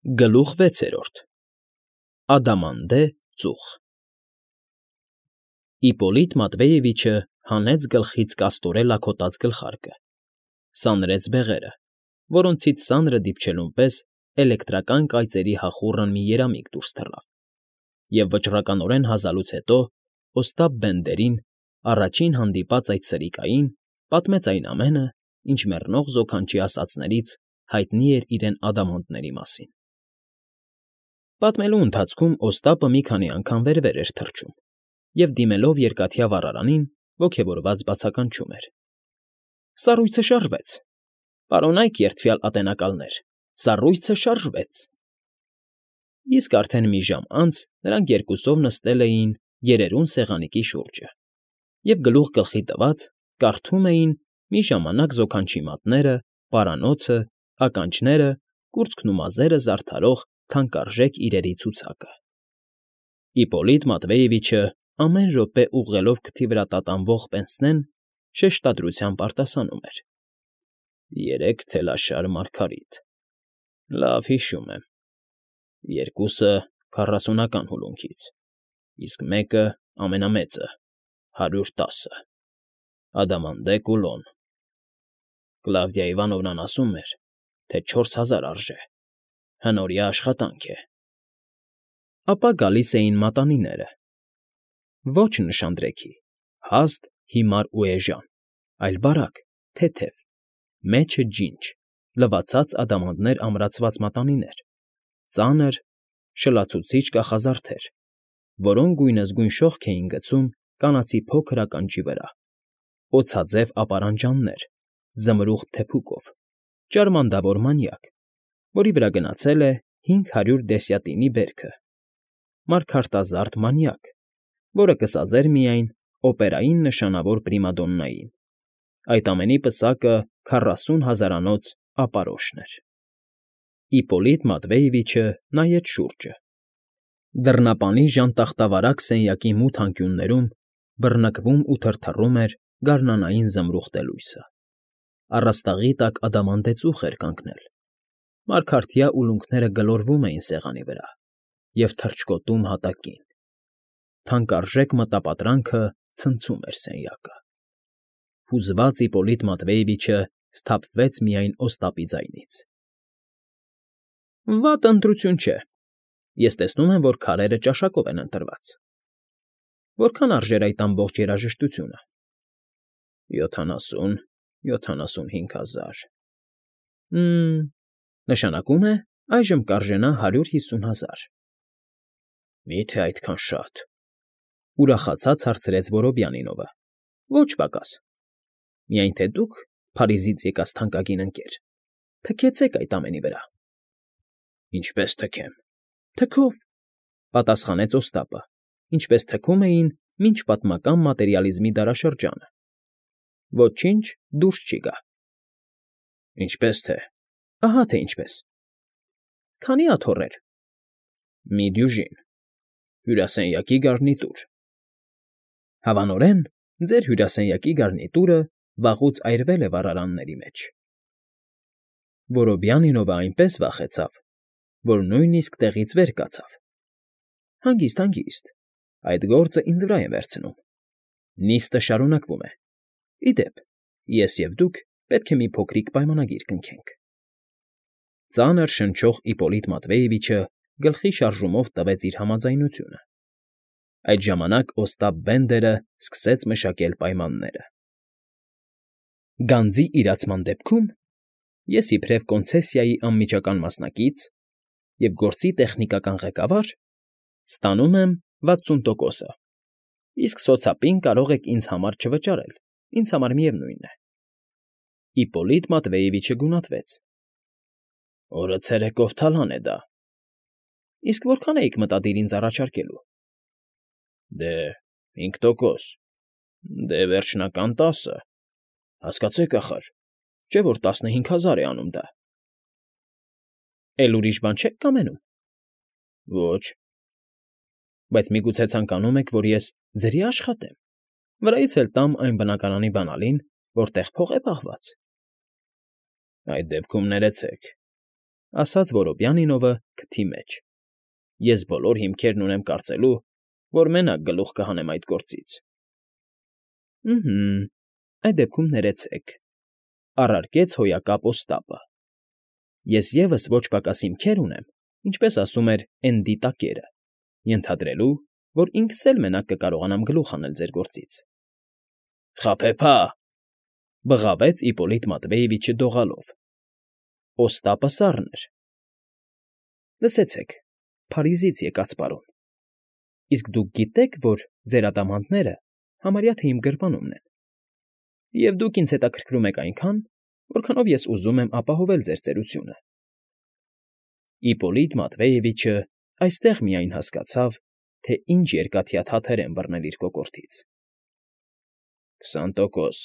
Գլուխ 6. Ադամանդե ծուխ Իպոլիտ Մատվեևիչը հանեց գլխից կաստորե լաքոտած գլխարկը, սանրեց բեղերը, որոնցից սանրը դիպչելուն պես էլեկտրական կայծերի հախուռն մի երամիք դուրս թռավ, և վճռականորեն հազալուց հետո Օստապ Բենդերին, առաջին հանդիպած այդ սրիկային, պատմեց այն ամենը, ինչ մեռնող զոքանչի ասածներից հայտնի էր իրեն ադամանդների մասին։ Պատմելու ընթացքում Օստապը մի քանի անգամ վեր֊վեր էր թռչում և, դիմելով երկաթյա վառարանին, ոգևորված բացականչում էր. «Սառույցը շարժվեց, պարոնայք երդվյալ ատենակալներ, սառույցը շարժվեց»։ Իսկ արդեն մի ժամ անց նրանք երկուսով նստել էին երերուն սեղանիկի շուրջը և, գլուխ գլխի տված, կարդում էին մի ժամանակ զոքանչի մատները, պարանոցը, ականջները, կուրծքն ու մազերը զարդարող թանկարժեք իրերի ցուցակը։ Իպոլիտ Մատվեևիչը, ամեն րոպե ուղղելով քթի վրա տատանվող պենսնեն, շեշտադրությամբ արտասանում էր. «Երեք թելաշար մարգարիտ, լավ հիշում եմ, երկուսը 40-ական հուլունքից, իսկ մեկը ամենամեծը 110, Ադամանդե Կուլոն. Կլավդիա Իվանովնան ասում էր, թե 4000 արժե, հնորյա աշխատանք է»։ Ապա գալիս էին մատանիները. ոչ նշանդրեքի, հաստ, հիմար ու էժան, այլ բարակ, թեթև, մեջը ջինջ, լվացած ադամանդներ ամրացված մատանիներ, ծանր, շլացուցիչ կախազարդեր, որոնք գույնզգույն շողք էին գցում կանացի փոքր ականջի վրա, օձաձև ապարանջաններ, զմրուխտ թեփուկով, ճարմանդավոր մանյակ, որի վրա գնացել է 500 դեսյատինի բերքը, մարգարտազարդ մանյակ, որը կսազեր միայն օպերային նշանավոր պրիմադոննային, այդ ամենի պսակը 40 հազարանոց ապարոշն էր։ Իպոլիտ Մատվեևիչը նայեց շուրջը. դռնապանի ժանտախտավարակ սենյակի մութ անկյուններում բռնկվում ու թրթռում էր գարնանային զմրուխտե լույսը, առաստաղի տակ ադամանդե ծուխ էր կանգնել, մարգարտյա ուլունքները գլորվում էին սեղանի վրա և թռչկոտում հատակին, թանկարժեք մտապատրանքը ցնցում էր սենյակը։ Հուզված Իպոլիտ Մատվեևիչը սթափվեց միայն Օստապի ձայնից. «Վատ ընտրություն չէ, ես տեսնում եմ, որ քարերը ճաշակով են ընտրված։ Որքան արժեր այդ ամբողջ երաժշտությունը»։ 70-75 հազար։ Նշանակում է, այժմ կարժենա 150 հազար։ Մի՞թե այդքան շատ, ուրախացած հարցրեց Որոբյանինովը։ Ոչ պակաս։ Միայն թե դուք, Փարիզից եկած թանկագին ընկեր, թքեցեք այդ ամենի վրա։ Ինչպե՞ս թքեմ։ Թքով, պատասխանեց Օստապը, ինչպես թքում էին մինչ պատմական մատերիալիզմի դարաշրջանը։ Ոչինչ դուրս չի գա։ Ինչպե՞ս թե։ Ահա թե ինչպես։ Քանի՞ աթոռեր։ Մի դյուժին։ Հյուրասենյակի գարնիտուր։ Հավանորեն, ձեր հյուրասենյակի գարնիտուրը վաղուց այրվել է վառարանների մեջ։ Որոբյանինովը այնպես վախեցավ, որ նույնիսկ տեղից վեր կացավ։ Հանգիստ, հանգիստ, այդ գործը ինձ վրա են վերցնում։ Նիստը շարունակվում է։ Ի դեպ, ես և դուք պետք է մի փոքրիկ պայմանագիր կնքենք։ Ծանր շնչող Իպոլիտ Մատվեևիչը գլխի շարժումով տվեց իր համաձայնությունը։ Այդ ժամանակ Օստապ Բենդերը սկսեց մշակել պայմանները։ Գանձի իրացման դեպքում ես իբրև կոնցեսիայի անմիջական մասնակից և գործի տեխնիկական ղեկավար ստանում եմ 60%, իսկ սոցապին կարող եք ինձ համար չվճարել, ինձ համար միևնույն է։ Իպոլիտ Մատվեևիչը գունատվեց. Օրը ցերեկով թալան է դա։ Իսկ որքան էիք մտադիր ինձ առաջարկելու։ Դե 5%, դե վերջնական 10, հասկացեք ախար, չէ՞ որ 15000 է անում դա։ Էլ ուրիշ բան չեք կամենում։ Ոչ։ Բայց միգուցե ցանկանում եք, որ ես ձրի աշխատեմ, վրայից էլ տամ այն բնակարանի բանալին, որտեղ փող է պահված։ Այդ դեպքում ներեցեք, ասաց Որոբյանինովը քթի մեջ։ Ես բոլոր հիմքերն ունեմ կարծելու, որ մենակ գլուխ կհանեմ այդ գործից։ Այդ դեպքում ներեցեք, առարկեց հոյակապ Օստապը։ Ես ևս ոչ պակաս հիմքեր ունեմ, ինչպես ասում էր Էնդի տակերը, ենթադրելու, որ ինքս էլ մենակ կկարողանամ գլուխ հանել ձեր գործից։ Խաբեբա, բղավեց Իպոլիտ Մատվեևիչը դողալով։ Օստապը սառն էր։ Լսեցեք, Փարիզից եկած պարոն, իսկ դուք գիտեք, որ ձեր ադամանդները համարյա թե իմ գրպանումն են, և դուք ինձ հետաքրքրում եք այնքան, որքանով ես ուզում եմ ապահովել ձեր ծերությունը։ Իպոլիտ Մատվեևիչը այստեղ միայն հասկացավ, թե ինչ երկաթյա թաթեր են բռնել իր կոկորդից։ 20%,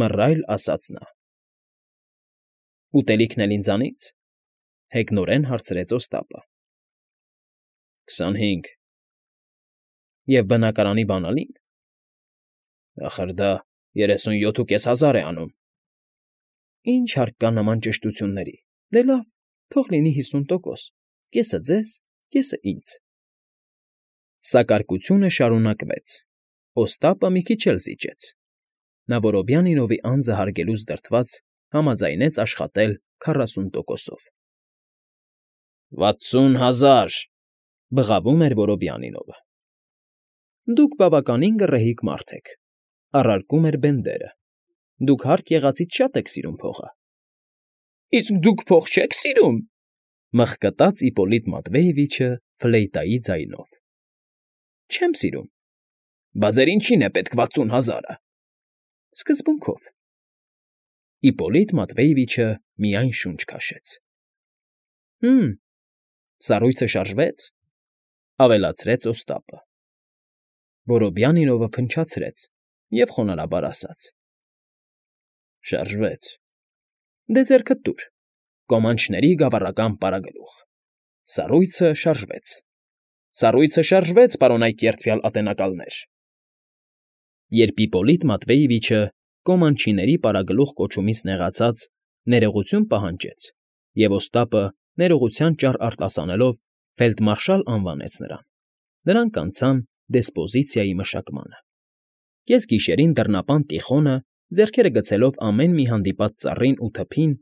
մռայլ ասաց նա։ Ուտելիքն էլ ինձանից, հեգնորեն հարցրեց Օստապը։ 25. Եվ բնակարանի բանալին։ Ախր դա 37,500 է անում։ Ինչ հարկ կա նման ճշտությունների։ Դե լավ, թող լինի 50%, կեսը ձեզ, կեսը ինձ։ Սակարկությունը շարունակվեց։ Օստապը մի քիչ էլ զիջեց։ Նա Որոբյանինովի անձը հարգելուց դրդված համաձայնեց աշխատել 40%-ով։ 60,000, բղավում էր Որոբյանինովը։ Դուք բավականին գռեհիկ մարդ եք, առարկում էր Բենդերը։ Դուք հարկ եղածից շատ եք սիրում փողը։ Իսկ դուք փող չեք սիրում, մխկտաց Իպոլիտ Մատվեևիչը ֆլեյտայի ձայնով։ Չեմ սիրում։ Բա ձեր ինչին է պետք 60,000-ը։ Սկզբունքով։ Իպոլիտ Մատվեևիչը միայն շունչ քաշեց։ Սառույցը շարժվեց, ավելացրեց Օստապը։ Որոբյանինովը փնչացրեց և խոնարհաբար ասաց. Շարժվեց։ Դե ձեռքդ տուր, կոմանչների գավառական պարագլուխ։ Սառույցը շարժվեց։ Սառույցը շարժվեց, պարոն այ կերտվյալ ատենակալներ։ Երբ Իպոլիտ Մատվեևիչը կոմանչիների պարագլուխ կոչումից նեղացած ներողություն պահանջեց, և Օստապը ներողության ճառ արտասանելով ֆելդմարշալ անվանեց նրան, նրանք անցան դեսպոզիցիայի մշակմանը։ Կեսգիշերին դռնապան Տիխոնը, ձեռքերը գցելով ամեն մի հանդիպած ծառին ու թփին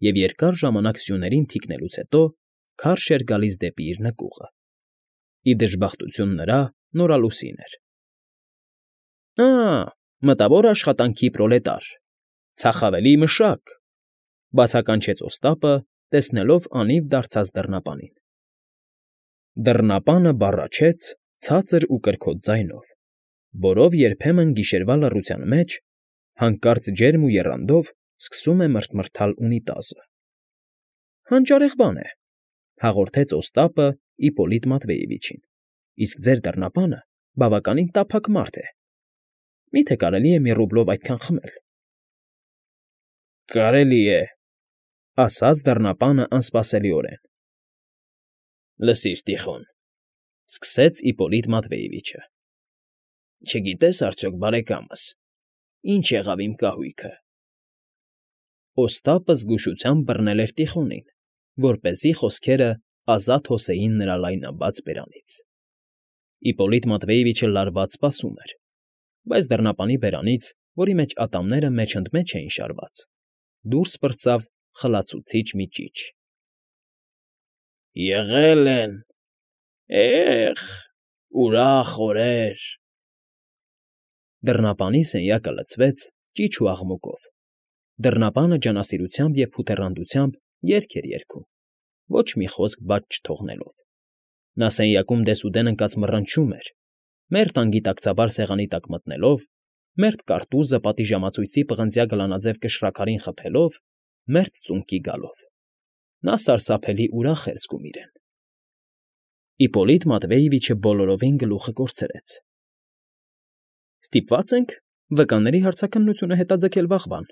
և երկար ժամանակ սյուներին թիկնելուց հետո, քարշ էր գալիս դեպի իր նկուղը։ Ի դժբախտություն նրա նորալուսին էր։ Մտավոր աշխատանքի պրոլետար, ցախավելի մշակ, բացականչեց Օստապը, տեսնելով անիվ դարձած դռնապանին։ Դռնապանը բառաչեց ցածր ու կրքոտ ձայնով, որով երբեմն գիշերվա լռության մեջ, հանկարծ ջերմ ու եռանդով սկսում է մռթմռթալ ունիտազը։ Հանճարեղ բան է, հաղորդեց Օստապը Իպոլիտ Մատվեևիչին, իսկ ձեր դռնապանը բավականին տափակ մարդ է։ Մի՞թե կարելի է մի ռուբլով այդքան խմել։ Կարելի է, ասաց դռնապանը անսպասելիորեն։ Լսիր, Տիխոն, սկսեց Իպոլիտ Մատվեևիչը։ Չգիտես արդյոք, բարեկամս, ինչ եղավ իմ կահույքը։ Օստապը զգուշությամբ բռնել էր Տիխոնին, որպեսզի խոսքերը ազատ հոսեին նրա լայնաբաց բերանից։ Իպոլիտ Մատվեևիչը լարված սպասում էր, բայց դռնապանի բերանից, որի մեջ ատամները մեջընդմեջ էին շարված, դուրս պրծավ խլացուցիչ մի ճիչ։ Եղել են, ուրախ օրեր։ Դռնապանի սենյակը լցվեց ճիչ ու աղմուկով։ Դռնապանը ջանասիրությամբ և փութեռանդությամբ երգ էր երգում, ոչ մի խոսք բաց չթողնելով։ Նա սենյակում դեսուդեն ընկած մռնչում էր, մերթ անգիտակցաբար սեղանի տակ մտնելով, մերթ կարտուզը պատիժամածույցի պղնձյա գլանաձև կշռաքարին խփելով, մերթ ծունկի գալով։ Նա սարսափելի ուրախ էր զգում իրեն։ Իպոլիտ Մատվեևիչը բոլորովին գլուխը կորցրեց։ Ստիպված ենք վկաների հարցաքննությունը հետաձգել վաղվան,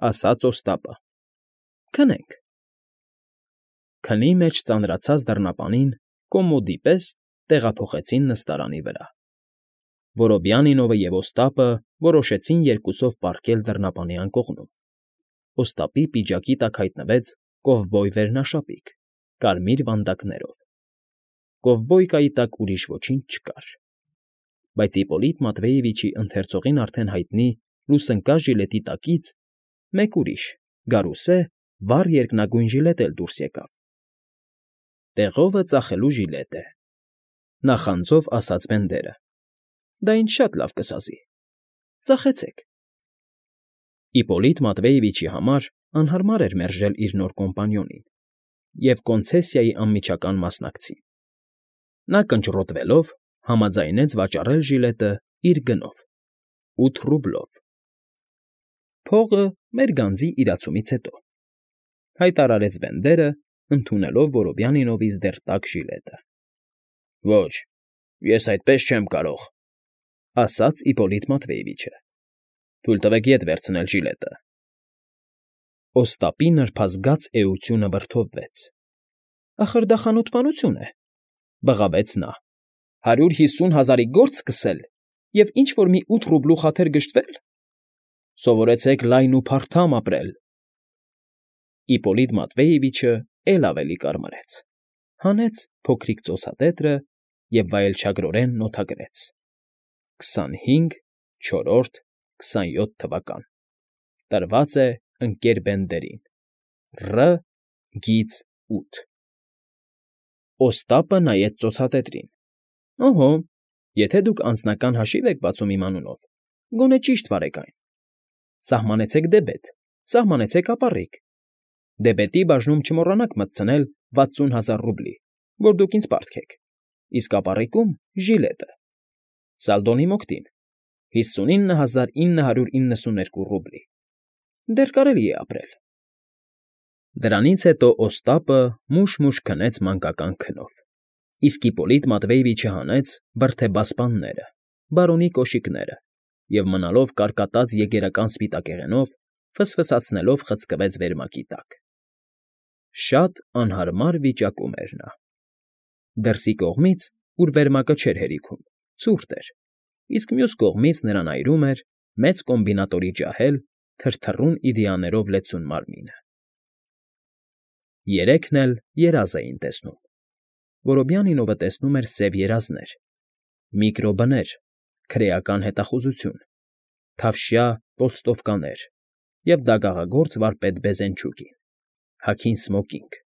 ասաց Օստապը։ Քնենք։ Քնի մեջ ծանրացած դռնապանին կոմոդի պես տեղափոխեցին նստարանի վրա։ Որոբյանինովը և Օստապը որոշեցին երկուսով պառկել դռնապանի անկողնում։ Օստապի պիջակի տակ հայտնվեց կովբոյ վերնաշապիկ, կարմիր վանդակներով։ Կովբոյկայի տակ ուրիշ ոչինչ չկար։ Բայց Իպոլիտ Մատվեևիչի ընթերցողին արդեն հայտնի լուսնկա ժիլետի տակից մեկ ուրիշ, գարուսե, վառ երկնագույն ժիլետ էլ դուրս եկավ։ «Տեղովը ծախելու ժիլետ է», նախանձով ասաց Բենդերը։ «Դա ինձ շատ լավ կսազի։ Ծախեցեք»։ Իպոլիտ Մատվեևիչի համար անհարմար էր մերժել իր նոր կոմպանիոնին և կոնցեսիայի անմիջական մասնակցին։ Նա կնճռոտվելով համաձայնեց վաճառել ժիլետը իր գնով՝ 8 ռուբլով։ «Փողը մեր գանձի իրացումից հետո», հայտարարեց Բենդերը, ընդունելով Որոբյանինովից դեռ տաք ժիլետը։ «Ոչ, ես այդպես չեմ կարող», ասաց Իպոլիտ Մատվեևիչը։ «Թույլ տվեք ետ վերցնել ժիլետը»։ Օստապի նրբազգաց էությունը վրդովվեց։ «Ախր դա խանութ֊մանություն է», բղավեց նա։ 150,000-ի գործ սկսել և ինչ֊որ մի 8 ռուբլու խաթր գժտվել։ Սովորեցեք լայն ու փարթամ ապրել։ Իպոլիտ Մատվեևիչը էլ ավելի կարմրեց, հանեց փոքրիկ ծոցատետրը և վայելչագրորեն նոթագրեց. 25, 4, 27 թվական. տրված է ընկեր Բենդերին, Ռ. գիծ 8։ Օստապը նայեց ծոցատետրին։ «Օհո, եթե դուք անձնական հաշիվ եք բացում իմ անունով, գոնե ճիշտ վարեք այն. սահմանեցեք դեբետ, սահմանեցեք ապառիկ։ Դեբետի բաժնում չմոռանաք մտցնել 60,000 ռուբլի, որ դուք ինձ պարտք եք, իսկ ապառիկում՝ ժիլետը։ Սալդոնի մոկտին՝ 59,992 ռուբլի։ Դեռ կարելի է ապրել»։ Դրանից հետո Օստապը մուշ֊մուշ քնեց մանկական քնով, իսկ Իպոլիտ Մատվեևիչը հանեց բրդե֊բասպանները, բարոնի կոշիկները և մնալով կարկատած եգերական սպիտակեղենով, ֆսֆսացնելով խցկվեց վերմակի տակ։ Շատ անհարմար վիճակում էր նա։ Դրսի կողմից, ուր վերմակը չէր հերիքում, ցուրտ էր, իսկ մյուս կողմից նրան այրում էր մեծ կոմբինատորի ջահել, թրթռուն իդեաներով լեցուն մարմինը։ Երեքն էլ երազ էին տեսնում։ Որոբյանինովը տեսնում էր սև երազներ, միկրոբներ, քրեական հետախուզություն, թավշյա տոլստովկաներ և դագաղագործ վարպետ Բեզենչուկին, հագին սմոկինգ,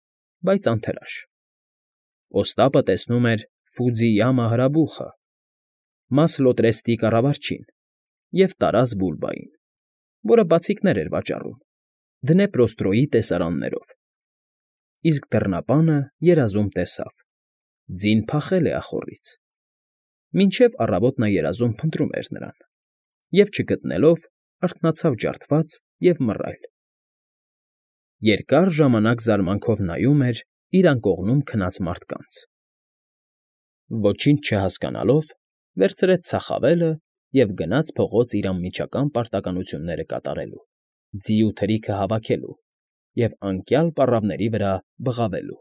բայց անթրաշ։ Օստապը տեսնում էր Ֆուձիյամա հրաբուխը, Մասլո Տրեստի կառավարչին և Տարաս Բուլբային, որը բացիկներ էր վաճառում, Դնեպրոստրոյի տեսարաններով, իսկ դռնապանը երազում տեսավ. ձին փախել է ախոռից։ Մինչև առավոտ նա երազում փնտրում էր նրան և, չգտնելով, արթնացավ ջարդված և մռայլ։ Երկար ժամանակ զարմանքով նայում էր իր անկողնում քնած մարդկանց։ Ոչինչ չհասկանալով, վերցրեց ծախավելը և գնաց փողոց իր անմիջական պարտականությունները կատարելու, ձի ու թրիքը հավաքելու և անկյալ պառավների վրա բղավելու։